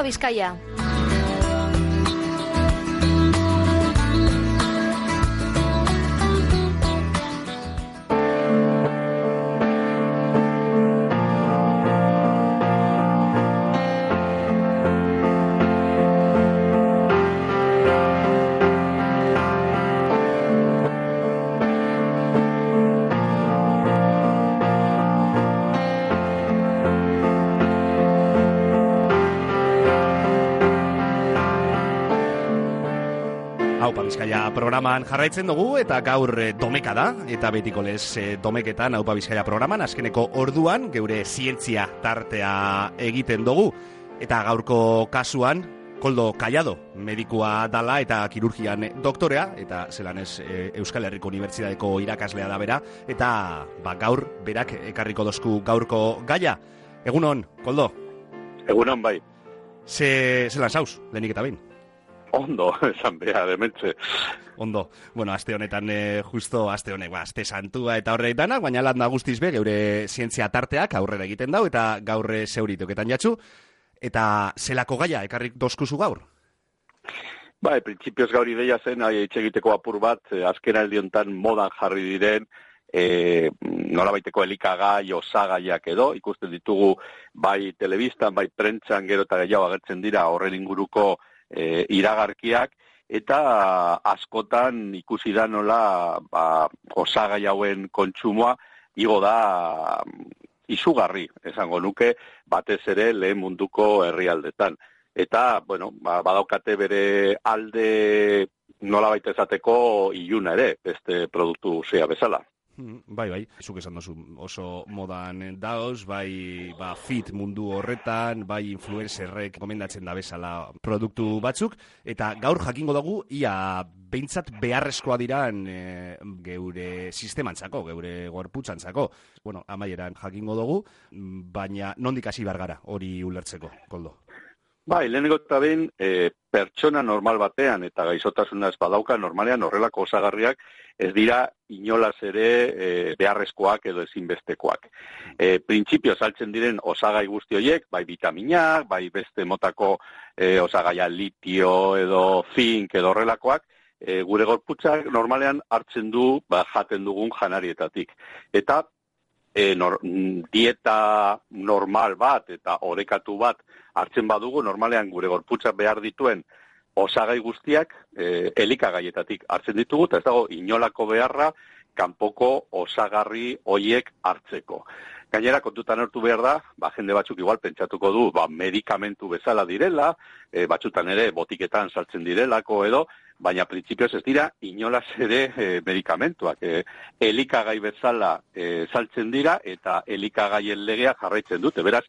Bizkaia. Bizkaia programan jarraitzen dugu eta gaur domeka da, eta betiko lez domeketan Aupa Bizkaia programan azkeneko orduan geure zientzia tartea egiten dugu, eta gaurko kasuan Koldo Callado medikua dala eta kirurgian doktorea, eta zelan ez Euskal Herriko Unibertsitateko irakaslea da bera, eta gaur berak ekarriko dozku gaurko gaia. Egunon, Koldo? Egunon, bai. Zelan zauz, lehenik eta behin? Ondo, esan behar, dementze. Ondo. Bueno, aste honetan, justo aste honek, aste santua eta horrek danak, baina landa guztiz be, geure zientzia tarteak aurrera egiten dau, eta gaur zeuritoketan jatzu. Eta zelako gaia, ekarrik dozkuzu gaur? Bai, printzipioz gaur ideia zen, egiteko apur bat, azkena aldiontan modan jarri diren, nolabaiteko elikagai, osagaiak edo, ikusten ditugu bai telebistan, bai prentsan, gero eta gehiago agertzen dira horren inguruko iragarkiak, eta askotan ikusi da nola osagai hauen kontsumoa igo da izugarri, esango nuke, batez ere lehen munduko herrialdetan. Eta, bueno, badaukate bere alde nolabait esateko iluna ere, beste produktu zea bezala. Bai, zuk esan dozu oso modan daoz, bai fit mundu horretan, bai influencerrek gomendatzen da bezala produktu batzuk, eta gaur jakingo dugu ia behintzat beharrezkoa diran geure sistemantzako, geure gorputzantzako. Bueno, amaieran jakingo dugu, baina nondik hasi behar gara hori ulertzeko, Koldo? Bai, lehenengo eta behin, pertsona normal batean eta gaizotasuna ez badauka, normalean horrelako osagarriak ez dira inolaz ere beharrezkoak edo ezinbestekoak. Printzipio saltzen diren osagai guzti horiek, bai vitaminak, bai beste motako osagaia litio edo zink edo horrelakoak, gure gorputzak normalean hartzen du jaten dugun janarietatik. Eta dieta normal bat eta orekatu bat hartzen badugu, normalean gure gorputzak behar dituen osagai guztiak elikagaietatik hartzen ditugu, eta ez dago inolako beharra kanpoko osagarri hoiek hartzeko. Gainera, kontutan hartu behar da, jende batzuk igual pentsatuko du, medikamentu bezala direla, batzutan ere botiketan saltzen direlako edo, baina printzipioz ez dira inolaz ere medikamentuak. Elikagai bezala saltzen dira eta elikagaien legea jarraitzen dute. Beraz,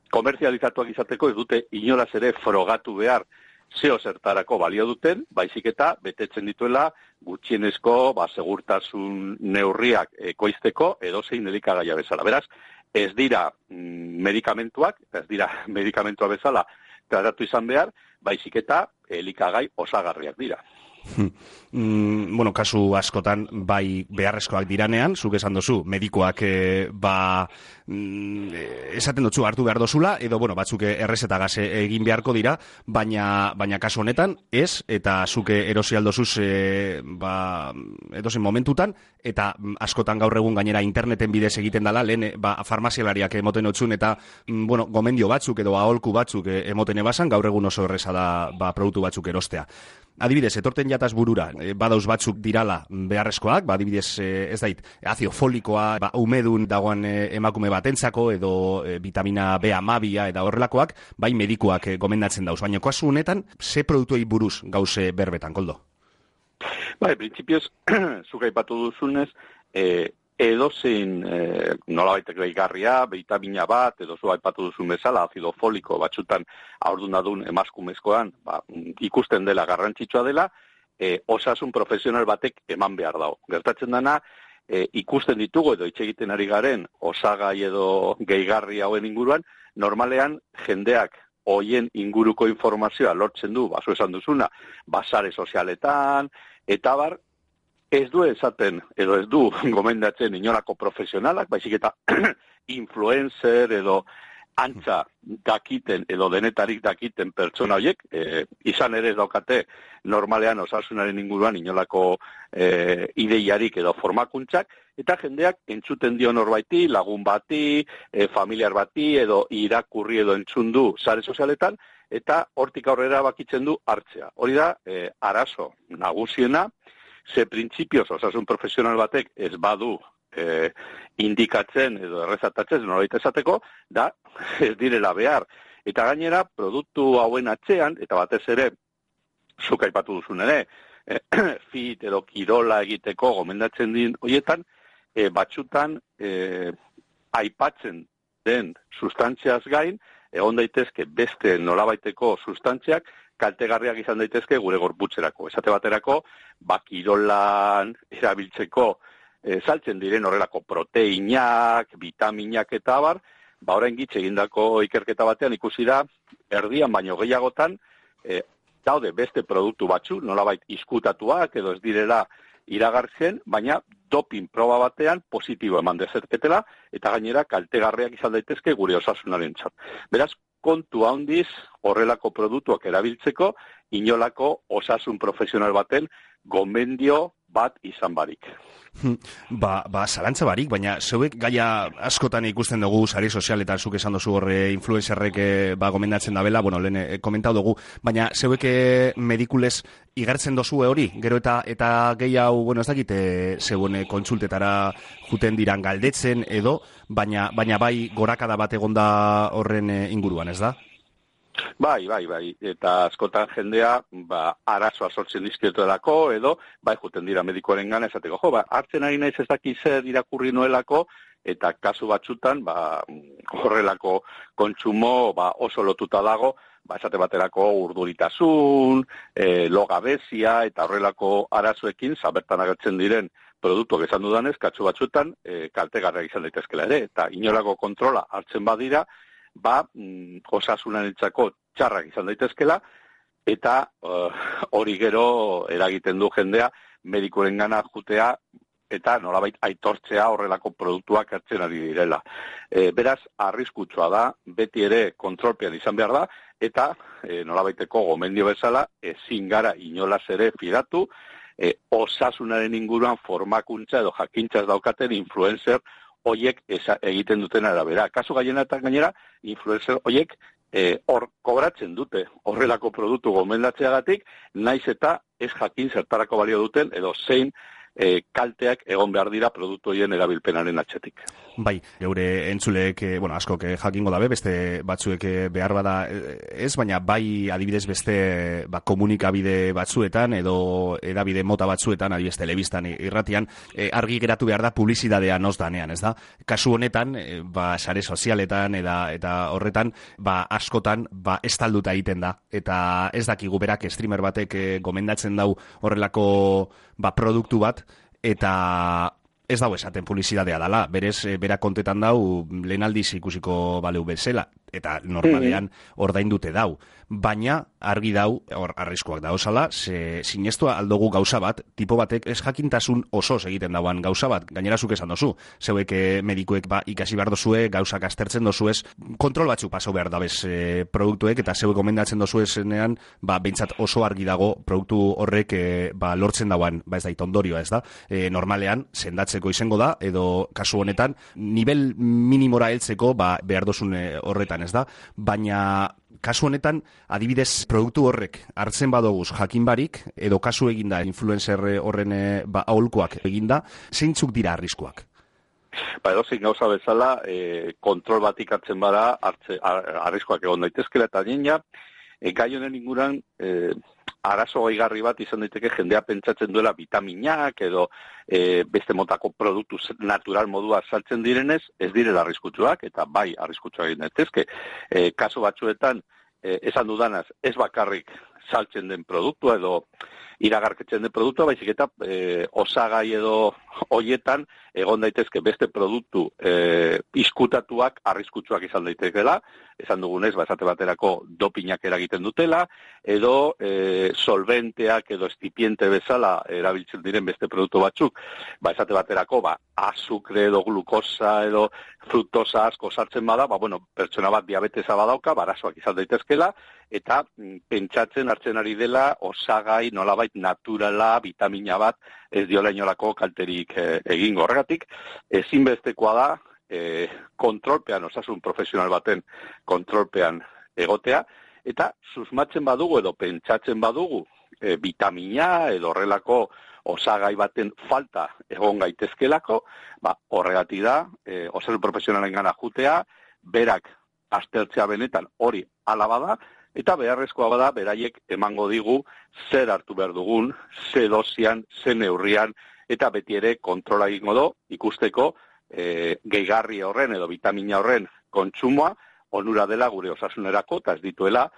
komerzializatuak izateko ez dute inolaz ere frogatu behar zeo zertarako balio duten, baizik eta betetzen dituela gutxienezko segurtasun neurriak ekoizteko edozein elikagaia bezala. Beraz, ez dira medikamentuak, ez dira medikamentua bezala tratatu izan behar, baizik eta elikagai osagarriak dira. Bueno, kasu askotan bai beharrezkoak diranean, zuk esan dozu, medikoak esaten dutzu hartu behar dozula, edo batzuk errezetagaz egin beharko dira, baina kasu honetan ez, eta zuk erosi aldozuz edozen momentutan, eta askotan gaur egun gainera interneten bidez egiten dela, lehen farmazialariak emoten otzun, eta gomendio batzuk edo aholku batzuk emoten ebasan, gaur egun oso erreza da produktu batzuk erostea. Adibidez, etorten jataz burura, badauz batzuk dirala beharrezkoak, adibidez, ez dait, azio folikoa, umedun dagoen emakume batentzako, edo vitamina B12 eta horrelakoak, bai medikuak gomendatzen dauz. Baina kasu honetan, ze produktuei buruz gauze berbetan, Koldo? Bai, printzipioz, zuk aipatu duzunez, edozein nolabaitek gehigarria, vitamina bat, edo zu aipatu duzun bezala, azido foliko batzutan haurdunadun emaskumezkoan, ikusten dela garrantzitsua dela, osasun profesional batek eman behar dago. Gertatzen dana, ikusten ditugu edo hitz egiten ari garen osagai edo gehigarri hauen inguruan, normalean jendeak hoien inguruko informazioa lortzen du, zu esan duzuna, sare sozialetan, eta bar, ez du esaten, edo ez du gomendatzen inolako profesionalak, baizik eta influencer edo antza dakiten edo denetarik dakiten pertsona horiek, izan ere ez daukate normalean osasunaren inguruan inolako ideiarik edo formakuntzak, eta jendeak entzuten dio norbaiti, lagun bati, familiar bati, edo irakurri edo entzun du sare sozialetan, eta hortik aurrera bakitzen du hartzea. Hori da, arazo nagusiena, ze printzipioz osasun profesional batek ez badu indikatzen edo errezatatzen norbait esateko, da ez direla behar. Eta gainera, produktu hauen atzean, eta batez ere, zuk aipatu duzun ere, fit edo kirola egiteko gomendatzen din horietan, batzutan aipatzen den sustantziaz gain, egon daitezke beste nolabaiteko sustantziak, kaltegarriak izan daitezke gure gorputzerako. Esate baterako, kirolan erabiltzeko saltzen diren horrelako proteinak, vitaminak eta abar, orain gitz egindako ikerketa batean ikusi da, erdian baino gehiagotan, daude beste produktu batzu, nolabait izkutatuak edo ez direla iragartzen, baina doping proba batean positibo eman dezaketela, eta gainera kaltegarriak izan daitezke gure osasunarentzat. Beraz, kontu handiz horrelako produktuak erabiltzeko, inolako osasun profesional baten gomendio bat izan barik. Zalantza barik, baina zeuek gaia askotan ikusten dugu sari sozialetan, zuk esan dozu horre influencerrek gomendatzen dabela, lehen komentau dugu, baina zeuek medikulez igartzen dozu hori, gero eta gehi hau, ez dakit, zeuen kontsultetara juten diran galdetzen edo, baina bai gorakada bat egonda horren inguruan, ez da? Bai, eta askotan jendea, arazoa sortzen dizkiotelako, edo, juten dira medikoaren gana, esateko, hartzen ari naiz ez daki zer irakurri nuelako, eta kasu batzutan, horrelako kontsumo, oso lotuta dago, esate baterako urduritasun, logabezia, eta horrelako arazoekin, bertan agertzen diren produktuak esan dudanez, kasu batzutan, kaltegarriak izan daitezkela ere, eta inolako kontrola hartzen badira, osasunarentzako txarrak izan daitezkela, eta hori gero eragiten du jendea medikuaren gana jutea eta nolabait aitortzea horrelako produktuak hartzen ari direla. Beraz, arriskutsua da, beti ere kontrolpean izan behar da, eta nolabaiteko gomendio bezala ezin gara inolaz ere fidatu, osasunaren inguruan formakuntza edo jakintzaz daukaten influencer hoiek egiten duten arabera. Kasu gainera, influencer hoiek hor kobratzen dute horrelako produktu gomendatzeagatik, naiz eta ez jakin zertarako balio duten edo zein kalteak egon behar dira produktu horien erabilpenaren atzetik. Bai, geure entzuleek, askok jakingo dabe, beste batzuek behar bada ez, baina bai adibidez beste komunikabide batzuetan edo edabide mota batzuetan, adibidez telebistan irratian, argi geratu behar da publizidadea noz danean, ez da? Kasu honetan, sare sozialetan eta horretan, askotan, estalduta egiten da, eta ez dakigu berak streamer batek gomendatzen dau horrelako produktu bat, eta ez dago esaten publizidadea dala, berez, berak kontetan dau, lehen aldiz ikusiko baleu bezala, eta normalean ordaindute dau. Baina, argi dau, hor arriskoak dauzala, sinestua aldogu gauza bat, tipo batek ez jakintasun oso egiten dauan gauza bat, gainera zuk esan dozu, zeuek medikuek ikasi behar dozue, gauzak aztertzen dozuez, kontrol batzuk paso behar dabez produktuek, eta zeuek gomendatzen dozuezenean, behintzat oso argi dago produktu horrek lortzen dauan, ez da itondorioa, ez da, normalean, sendatzeko izango da, edo kasu honetan, nivel minimora heltzeko behar dozun horretan, ez da, baina kasu honetan, adibidez, produktu horrek hartzen badoguz jakin barik, edo kasu eginda influencer horren aholkuak eginda, zeintzuk dira arriskuak? Edozein gauza bezala, kontrol batik hartzen bada, arriskuak egon daitezkela, eta nina, gai honen inguran, arazo gaigarri bat izan daiteke jendea pentsatzen duela vitaminak edo beste motako produktu natural modua saltzen direnez, ez direla arriskutsuak, eta bai arriskutsuak egin daitezke. Kasu batzuetan, esan dudanaz, ez bakarrik saltzen den produktua edo iragarketzen den produktua, baizik eta osagai edo hoietan egon daitezke beste produktu izkutatuak arriskutsuak izan daitezkela, esan dugunez, esate baterako dopinak eragiten dutela, edo solventeak edo estipiente bezala erabiltzen diren beste produktu batzuk, esate baterako azukre edo glukosa edo fruktosa asko sartzen bada, pertsona bat diabetesa badauka, arazoak izan daitezkela, eta pentsatzen hartzen ari dela osagai nolabait naturala, vitamina bat, ez diola inolako kalterik egingo. Horregatik, ezinbestekoa da, kontrolpean, osasun profesional baten kontrolpean egotea, eta susmatzen badugu edo pentsatzen badugu vitamina edo horrelako osagai baten falta egon gaitezkelako, horregatik da, osasun profesionalen gana jutea, berak aztertzea benetan hori hala bada, eta beharrezkoa bada, beraiek emango digu zer hartu behar dugun, ze dosian, ze neurrian, eta beti ere kontrola egingo do, ikusteko gehigarri horren edo vitamina horren kontsumoa onura dela gure osasunerako, eta ez dituela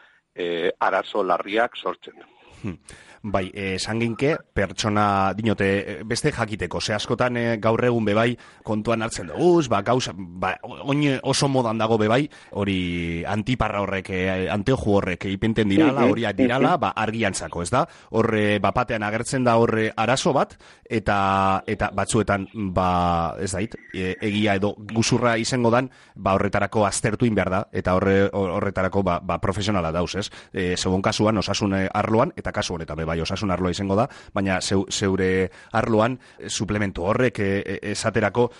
arazo larriak sortzen. Bai, sanginke, pertsona dinote beste jakiteko, ze askotan gaur egun bebai kontuan hartzen dugu, gauza, oin oso modan dago bebai, hori antiparra horrek, anteoju horrek ipenten dirala, horiak dirala, argiantzako, ez da? Horre, bapatean agertzen da horre arazo bat, eta batzuetan, ez dait, egia edo guzurra izango dan, horretarako aztertu behar da, eta horretarako profesionala dauz, ez? Segun kasuan, osasun arloan, eta kasu honetan, bai, osasun arloa izango da, baina zeure arloan suplementu horrek esaterako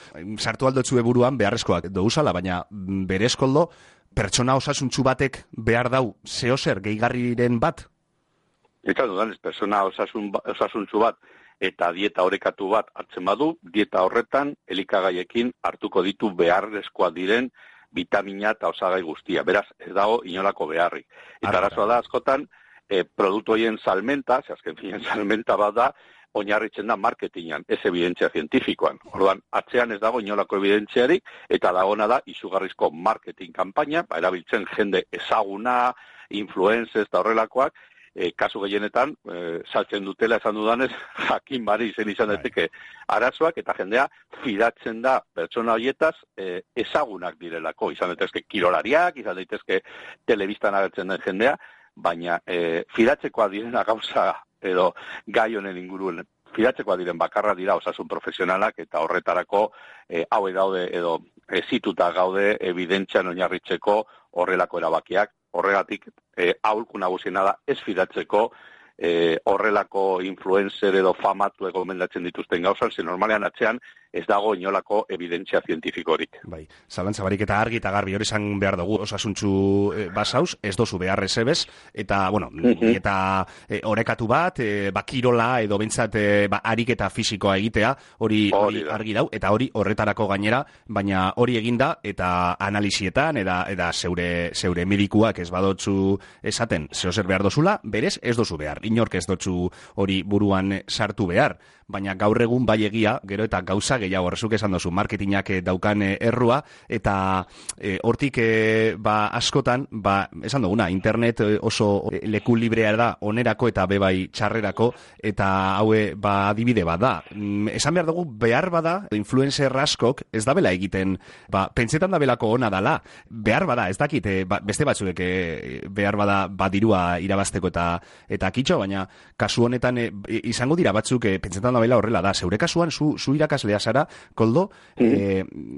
sartu aldotzue buruan beharrezkoak douzala, baina berezkoldo pertsona osasuntzu batek behar dau zeozer gehigarriren bat? Eta dudan, pertsona osasuntzu bat eta dieta orekatu bat hartzen badu, dieta horretan elikagaiekin hartuko ditu beharrezkoak diren vitamina eta osagai guztia. Beraz, ez dago inolako beharrik. Eta arazoa da askotan, produktu horien salmenta, azken finean salmenta bat da, oinarritzen da marketingan, ez evidentzia zientifikoan. Orduan, atzean ez dago inolako evidentziarik, eta dagona da izugarrizko marketing kanpaina, erabiltzen jende ezaguna, influencers eta horrelakoak, kasu gehienetan, saltzen dutela esan dudanez, jakin bari izan daiteke arazoak, eta jendea fidatzen da pertsona horietaz ezagunak direlako. Izan daitezke kirolariak, izan daitezke telebistan agertzen den jendea, baina fidatzekoa direna gauza edo gai honen inguruen fidatzekoa diren bakarra dira osasun profesionalak eta horretarako haue daude edo zituta gaude evidentzian oinarritzeko horrelako erabakiak. Horregatik aholku nagusiena da ez fidatzeko horrelako influencer edo famatu gomendatzen dituzten gauzan, ze normalean atzean ez dago inolako evidentzia zientifikorik. Bai, zalantza barik eta argi eta garbi hori izan behar dugu osasuntzu basauz, ez dozu behar ezebez, eta, eta orekatu bat, kirola edo bentsat ariketa fisikoa egitea, hori argi dau, eta hori horretarako gainera, baina hori eginda, eta analizietan, eta zeure medikuak ez badotzu esaten, zehozer behar dozula, berez ez dozu behar, inork ez dotzu hori buruan sartu behar, baina gaur egun bai egia, gero eta gauza gehiago, horrezuk esan dozu, marketingak daukan errua, eta hortik askotan, esan duguna, internet oso leku librea da, onerako eta bebai txarrerako, eta haue adibide bat da. Esan behar dugu, behar bada, influencer askok ez da bela egiten, pentsetan da belako ona dala, behar bada, ez dakit, beste batzuek behar bada dirua irabazteko eta kitxo, baina kasu honetan izango dira batzuk pentsetan da bela horrela da. Zeure kasuan, zu irakaslea zara, Koldo,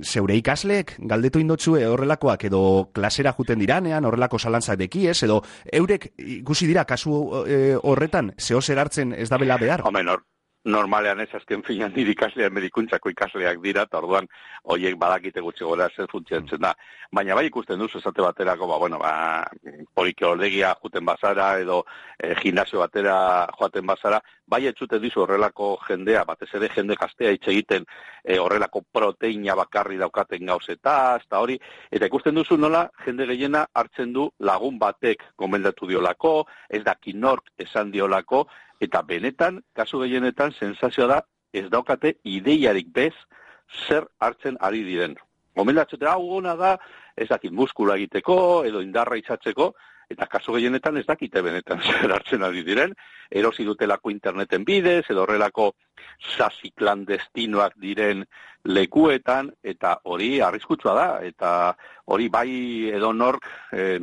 zeure ikasleek galdetu indotzue horrelakoak edo klasera juten diranean, horrelako zalantzak dekiez, edo eurek ikusi dira kasu horretan zehozer hartzen ez da bela behar? Normalean ez azken finan nire ikaslean medikuntzako ikasleak dira, eta orduan horiek badakite gutxi gora zer funtzionatzen da. Baina bai ikusten duzu esate baterako, polikioldegia juten bazara edo gimnasio batera joaten bazara, bai etxuten dizu horrelako jendea, batez ere jende gaztea hitz egiten horrelako proteina bakarri daukaten gauzetaz, eta hori, eta ikusten duzu nola jende gehiena hartzen du lagun batek gomendatu diolako, ez daki nork esan diolako, eta benetan, kasu gehienetan, sensazioa da, ez daukate ideiarik bez zer hartzen ari diren. Gomendatzete, ona da, ez dakit muskula egiteko, edo indarra itxatzeko, eta kasu gehienetan ez dakite benetan zer hartzen ari diren, erosi dutelako interneten bidez, edo horrelako sasi klandestinoak diren lekuetan, eta hori arriskutsua da, eta hori bai edo nork,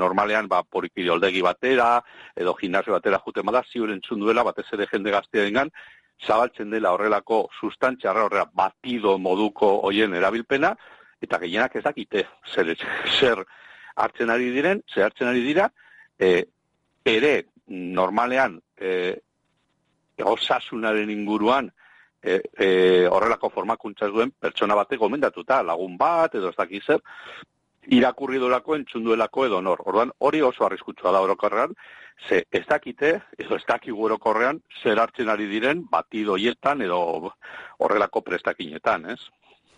normalean polikiroldegi batera, edo gimnasio batera juten bada, ziur entzun duela, batez ere jende gaztearengan, zabaltzen dela horrelako sustantzia horrela batido moduko hoien erabilpena, eta gehienak ez dakite zer hartzen ari diren, ere normalean osasunaren inguruan horrelako formakuntza duen pertsona batek gomendatuta, lagun bat edo ez dakiz zer, irakurri dolako, entzunduelako edo nor. Orduan, hori oso arriskutsua da orokorrean, ze ez dakite, edo ez dakigu orokorrean, zer hartzen ari diren batido hietan edo horrelako prestakinetan, ez?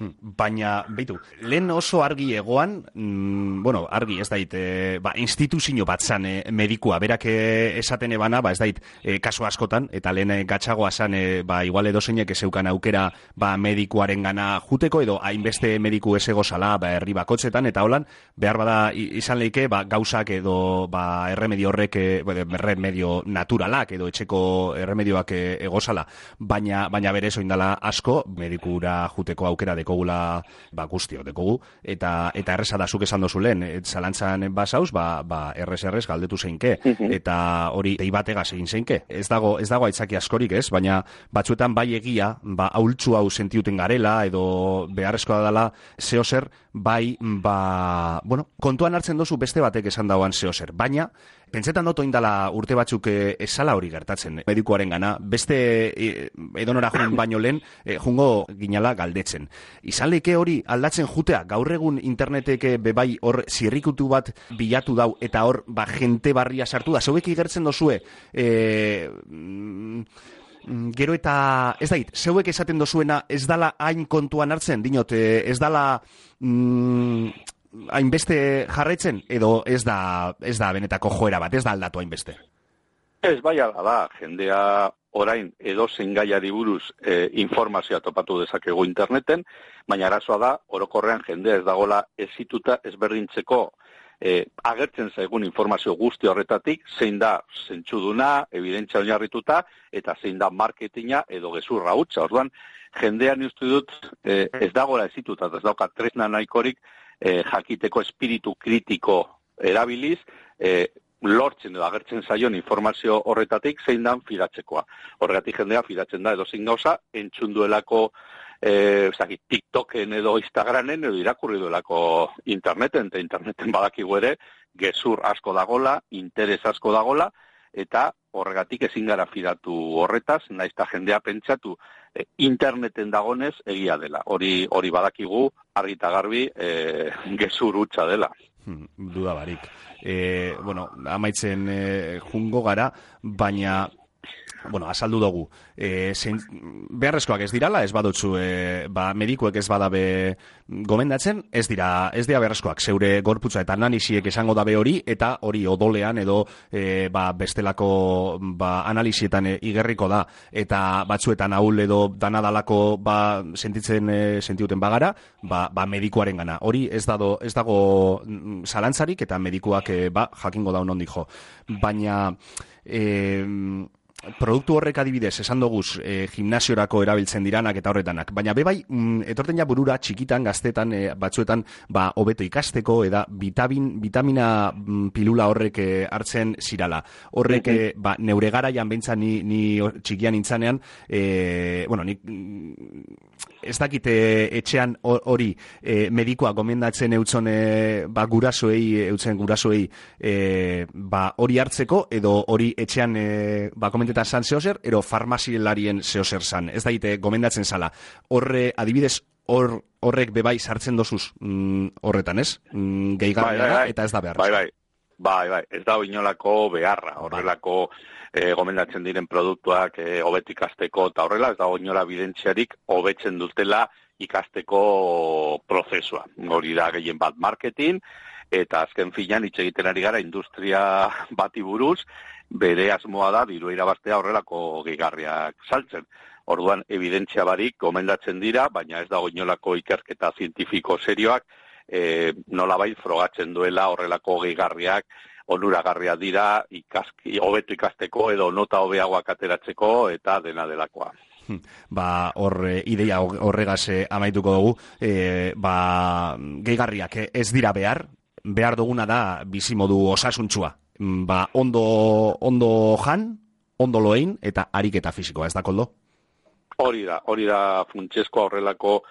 Baina, beitu, lehen oso argi egoan, argi ez dait, instituzio bat zan medikua, berak esaten ebana, ez dait, kasu askotan, eta lehen gatsagoa zan, igual edo zeinek ezeukan aukera, medikuaren gana juteko, edo hainbeste mediku ez egozala, herri bakotzetan, eta holan, behar bada izan leike, gauzak edo, erremedio horrek, erremedio naturalak, edo etxeko erremedioak egozala, baina berez oindala asko, medikura juteko aukera dekogula guztio dekogu, eta erresa da zuk esan dozu lehen, zalantzan basauz, errez galdetu zeinke, eta hori dei bategaz egin zeinke. Ez dago aitzaki askorik, ez? Baina batzuetan bai egia, ahultzu hau sentiuten garela, edo beharrezkoa dela zeozer, kontuan hartzen dozu beste batek esan dauan zeozer, baina pentsetan dut oindala urte batzuk esala hori gertatzen, medikuaren gana, beste edonora jun baino lehen, jungo ginala galdetzen. Izan leike hori aldatzen jutea, gaur egun internetek bebai hor zirrikutu bat bilatu dau, eta hor jente barria sartu da, zeuek igertzen dozue, gero eta, ez dait, zeuek esaten dozuena ez dala hain kontuan hartzen, dinot, ez dala hainbeste jarraitzen, edo ez da benetako joera bat, ez da aldatu hainbeste? Ez, bai ala da, jendea orain edozein gaiari buruz informazioa topatu dezakegu interneten, baina arazoa da, orokorrean jendea ez dagola ezituta ezberdintzeko agertzen zaigun informazio guzti horretatik, zein da zentzuduna, evidentzia oinarrituta, eta zein da marketinga edo gezurra hutsa. Orduan, jendean uste dut ez dagola ezituta, ez dauka tresna nahikorik jakiteko espiritu kritiko erabiliz, lortzen edo agertzen zaion informazio horretatik zein dan fidatzekoa. Horregatik jendea fidatzen da edozein gauza, entzunduelako TikToken edo Instagramen edo irakurri duelako interneten, eta interneten badakigu ere, gezur asko dagola, interes asko dagola, eta horregatik ezin gara fidatu horretaz, naiz eta jendea pentsatu interneten dagonez egia dela. Hori badakigu argi eta garbi gezur hutsa dela. Duda barik. Amaitzen jungo gara, baina azaldu dugu. Beharrezkoak ez dirala, ez badutzu, medikuek ez badabe gomendatzen, ez dira beharrezkoak. Zeure gorputza eta analisiek esango dabe hori, eta hori odolean edo bestelako analisietan igerriko da, eta batzuetan ahul edo danadalako sentiuten bagara, medikuaren gana. Hori ez dago zalantzarik, eta medikuak jakingo daun ondik jo. Baina produktu horrek adibidez, esan doguz, gimnasiorako erabiltzen diranak eta horretanak. Baina bebai, etorten ja burura txikitan, gaztetan, batzuetan, hobeto ikasteko, eda vitamina pilula horrek hartzen zirala. Horrek, neure garaian behintzan ni txikian intzanean, ez dakite etxean hori medikoa gomendatzen eutzen gurasoei hori hartzeko, edo hori etxean komentetan zan zehozer, ero farmazilarien zehozer zan. Ez daite gomendatzen zala. Adibidez, horrek bebai sartzen dozuz horretan, ez? Gehigarria eta ez da beharra. Bai, ez da inolako beharra, horrelako gomendatzen diren produktuak hobeto ikasteko eta horrela, ez da inola bidentziarik hobetzen dutela ikasteko prozesua. Hori da gehien bat marketing, eta azken finean hitz egiten ari gara industria bati buruz, bere asmoa da diru irabaztea horrelako gehigarriak saltzen. Orduan, evidentzia barik gomendatzen dira, baina ez dago inolako ikerketa zientifiko serioak, nolabait frogatzen duela horrelako gehigarriak onuragarria dira hobeto ikasteko edo nota hobeagoak ateratzeko eta dena delakoa. Ideia horregaz amaituko dugu, gehigarriak ez dira behar duguna da bizimodu osasuntsua. Ondo jan, ondo loein eta ariketa fisikoa, ez da, Koldo? Hori da funtsezko horrelako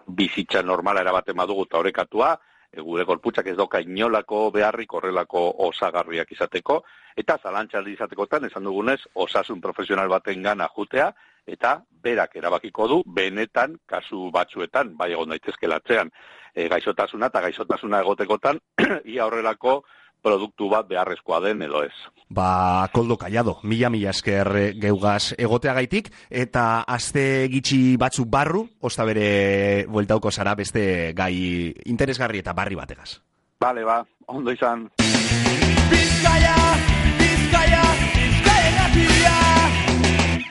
bizitza normala erabaten badugu eta orekatua, gure gorputzak ez doka inolako beharrik horrelako osagarriak izateko, eta zalantxaldi izatekotan, esan dugunez, osasun profesional baten gana jutea, eta berak erabakiko du, benetan, kasu batzuetan, bai egon daitezkelatzean, gaixotasuna eta gaixotasuna egotekotan, ia horrelako produktu bat beharrezkoa den edo ez. Koldo Kallado, mila esker geugaz egoteagaitik, eta aste gitxi batzuk barru, osta bere bueltauko zara beste gai interesgarri eta barri bategaz. Bale, ondo izan. Bizkaia!